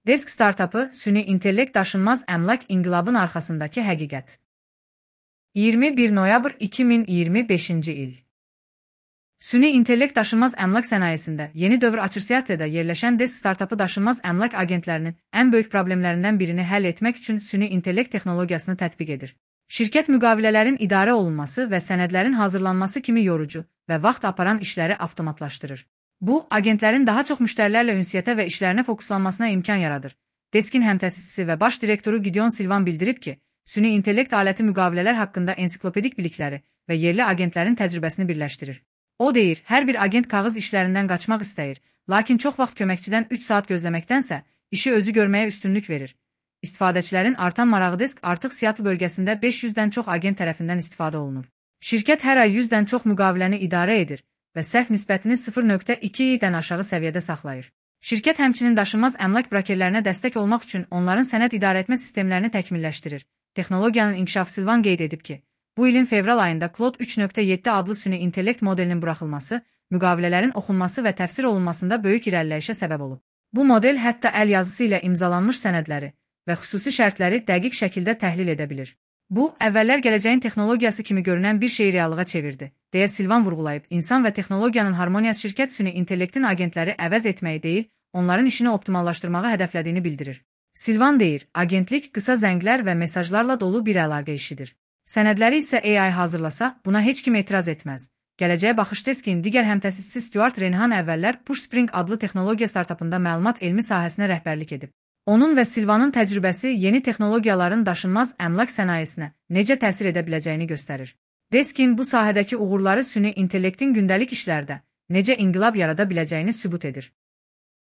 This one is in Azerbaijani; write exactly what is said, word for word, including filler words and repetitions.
Desk startapı süni intellekt daşınmaz əmlak inqilabın arxasındakı həqiqət. iyirmi bir noyabr iki min iyirmi beşinci il. Süni intellekt daşınmaz əmlak sənayesində yeni dövr açır. Seattle'da yerləşən Desk startapı daşınmaz əmlak agentlərinin ən böyük problemlərindən birini həll etmək üçün süni intellekt texnologiyasını tətbiq edir. Şirkət müqavilələrin idarə olunması və sənədlərin hazırlanması kimi yorucu və vaxt aparan işləri avtomatlaşdırır. Bu, agentlərin daha çox müştərilərlə ünsiyyətə və işlərinə fokuslanmasına imkan yaradır. Deskin həmtəsisçisi və baş direktoru Gideon Silvan bildirib ki, süni intellekt aləti müqavilələr haqqında ensiklopedik bilikləri və yerli agentlərin təcrübəsini birləşdirir. O deyir, hər bir agent kağız işlərindən qaçmaq istəyir, lakin çox vaxt köməkçidən üç saat gözləməkdənsə, işi özü görməyə üstünlük verir. İstifadəçilərin artan marağı Desk artıq Seattle bölgəsində beş yüzdən çox agent tərəfindən istifadə olunur. Şirkət hər ay yüzdən çox müqaviləni idarə edir və səhv nisbətini sıfır nöqtə iki-dən aşağı səviyyədə saxlayır. Şirkət həmçinin daşınmaz əmlak brokerlərinə dəstək olmaq üçün onların sənəd idarəetmə sistemlərini təkmilləşdirir. Texnologiyanın inkişafı Silvan qeyd edib ki, bu ilin fevral ayında Claude üç nöqtə yeddi adlı süni intellekt modelinin buraxılması, müqavilələrin oxunması və təfsir olunmasında böyük irəliləyişə səbəb olub. Bu model hətta əl yazısı ilə imzalanmış sənədləri və xüsusi şərtləri dəqiq şəkildə təhlil edə bilir. Bu, əvvəllər gələcəyin texnologiyası kimi görünən bir şeyi reallığa çevirdi, deyə Silvan vurğulayıb. İnsan və texnologiyanın harmoniyası şirkət süni intellektin agentləri əvəz etməyi deyil, onların işini optimallaşdırmağı hədəflədiyini bildirir. Silvan deyir, agentlik qısa zənglər və mesajlarla dolu bir əlaqə işidir. Sənədləri isə A I hazırlasa, buna heç kim etiraz etməz. Gələcəyə baxış Deskin digər həmtəsisçisi Stuart Renahan əvvəllər PushSpring adlı texnologiya startapında məlumat elmi sahəsinə rəhbərlik edib. Onun və Silvanın təcrübəsi yeni texnologiyaların daşınmaz əmlak sənayesinə necə təsir edə biləcəyini göstərir. Deskin bu sahədəki uğurları süni intellektin gündəlik işlərdə necə inqilab yarada biləcəyini sübut edir.